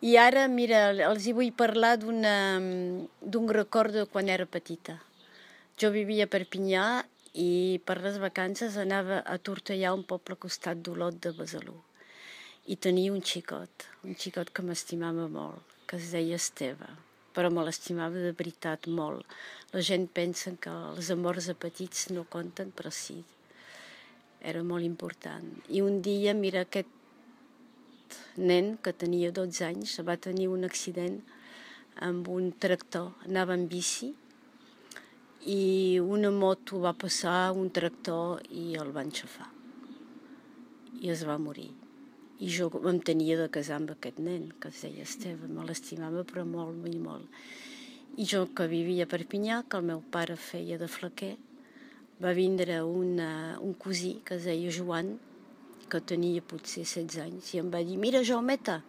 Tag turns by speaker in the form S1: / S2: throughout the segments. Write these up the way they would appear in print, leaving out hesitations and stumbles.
S1: I ara, mira, els hi vull parlar d'un record de quan era petita. Jo vivia a Perpinyà i per les vacances anava a Tortellà, un poble al costat d'Olot de Besalú. I tenia un xicot que m'estimava molt, que es deia Esteve, però me l'estimava de veritat molt. La gent pensa que els amors de petits no compten, però sí, era molt important. I un dia, mira, aquest nen que tenia 12 anys va tenir un accident amb un tractor, anava en bici i una moto va passar, un tractor, i el va enxafar i es va morir. I jo em tenia de casar amb aquest nen que es deia Esteve, me l'estimava però molt, molt, molt. I jo, que vivia a Perpinyà, que el meu pare feia de flequer, va vindre un cosí que es deia Joan, que tenia potser 16 anys, i em va dir: mira, Jaumeta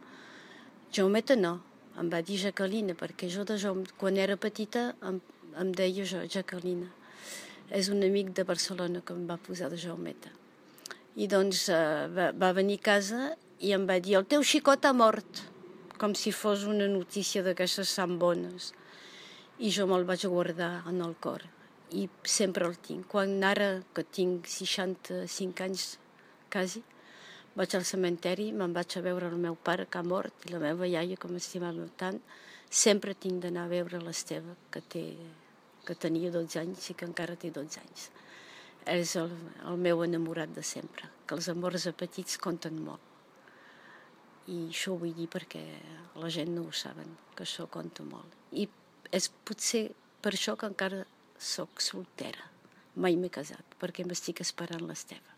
S1: no, em va dir Jacqueline, perquè jo quan era petita em deia Jacqueline. És un amic de Barcelona que em va posar de Jaumeta. I doncs va venir a casa i em va dir: el teu xicot ha mort, com si fos una notícia d'aquestes tan bones. I jo me'l vaig guardar en el cor i sempre el tinc. Quan ara, que tinc 65 anys quasi, vaig al cementeri, me'n vaig a veure el meu pare que ha mort i la meva iaia que m'estimava tant, sempre tinc d'anar a veure l'Esteve, que tenia 12 anys i que encara té 12 anys. És el meu enamorat de sempre, que els amors de petits compten molt. I això ho vull dir perquè la gent no ho saben, que això compta molt. I és potser per això que encara soc soltera. Mai m'he casat, perquè m'estic esperant l'Esteve.